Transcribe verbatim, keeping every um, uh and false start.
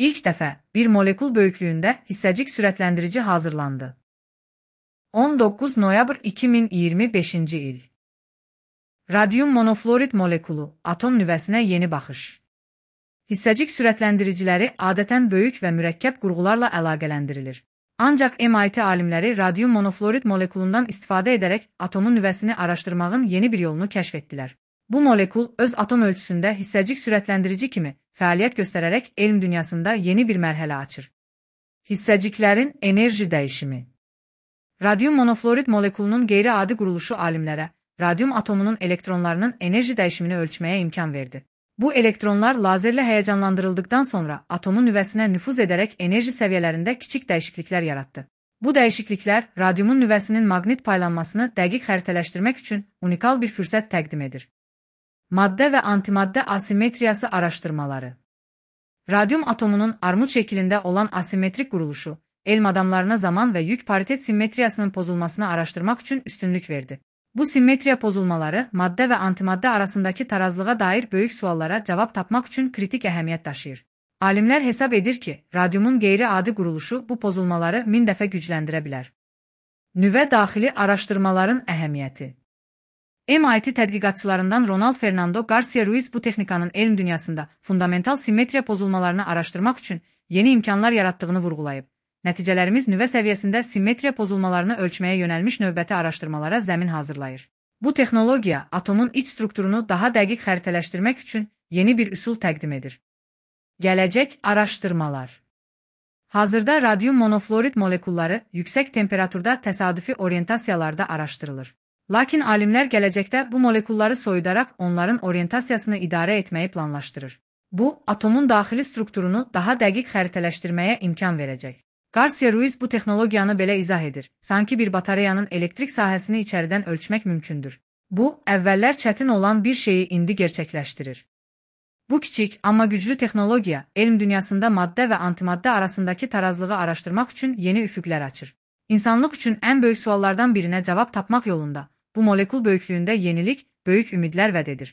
İlk dəfə bir molekul böyüklüyündə hissəcik sürətləndirici hazırlandı. on doqquz noyabr iki min iyirmi beşinci il. Radium monofluorid molekulu, atom nüvəsinə yeni baxış. Hissəcik sürətləndiriciləri adətən böyük və mürəkkəb qurğularla əlaqələndirilir. Ancaq M I T alimləri radium monofluorid molekulundan istifadə edərək atomun nüvəsini araşdırmağın yeni bir yolunu kəşf etdilər. Bu molekul öz atom ölçüsündə hissəcik sürətləndirici kimi fəaliyyət göstərərək elm dünyasında yeni bir mərhələ açır. Hissəciklərin enerji dəyişimi. Radium monofluorid molekulunun qeyri-adi quruluşu alimlərə radium atomunun elektronlarının enerji dəyişimini ölçməyə imkan verdi. Bu elektronlar lazerlə həyəcanlandırıldıqdan sonra atomun nüvəsinə nüfuz edərək enerji səviyyələrində kiçik dəyişikliklər yaratdı. Bu dəyişikliklər radiumun nüvəsinin maqnit paylanmasını dəqiq xəritələşdirmək üçün unikal bir fürsət təqdim edir. Maddə və antimaddə asimetriyası araşdırmaları. Radium atomunun armud şəklində olan asimetrik quruluşu, elm adamlarına zaman və yük paritet simmetriyasının pozulmasını araşdırmaq üçün üstünlük verdi. Bu simmetriya pozulmaları maddə və antimaddə arasındakı tarazlığa dair böyük suallara cavab tapmaq üçün kritik əhəmiyyət daşıyır. Alimlər hesab edir ki, radiumun qeyri-adi quruluşu bu pozulmaları min dəfə gücləndirə bilər. Nüvə daxili araşdırmaların əhəmiyyəti. M I T tədqiqatçılarından Ronald Fernando Garcia Ruiz bu texnikanın elm dünyasında fundamental simmetriya pozulmalarını araşdırmaq üçün yeni imkanlar yaratdığını vurğulayıb. Nəticələrimiz nüvə səviyyəsində simmetriya pozulmalarını ölçməyə yönəlmiş növbəti araşdırmalara zəmin hazırlayır. Bu texnologiya atomun iç strukturunu daha dəqiq xəritələşdirmək üçün yeni bir üsul təqdim edir. Gələcək araşdırmalar. Hazırda radium monofluorid molekulları yüksək temperaturda təsadüfi orientasiyalarda araşdırılır. Lakin alimlər gələcəkdə bu molekulları soyudaraq onların orientasiyasını idarə etməyi planlaşdırır. Bu, atomun daxili strukturunu daha dəqiq xəritələşdirməyə imkan verəcək. Garcia Ruiz bu texnologiyanı belə izah edir. Sanki bir batareyanın elektrik sahəsini içəridən ölçmək mümkündür. Bu, əvvəllər çətin olan bir şeyi indi gerçəkləşdirir. Bu kiçik, amma güclü texnologiya, elm dünyasında maddə və antimaddə arasındakı tarazlığı araşdırmaq üçün yeni üfüqlər açır. İnsanlıq üçün ən böyük suallardan birinə cavab tapmaq yolunda, bu molekul böyüklüyündə yenilik, böyük ümidlər vəd edir.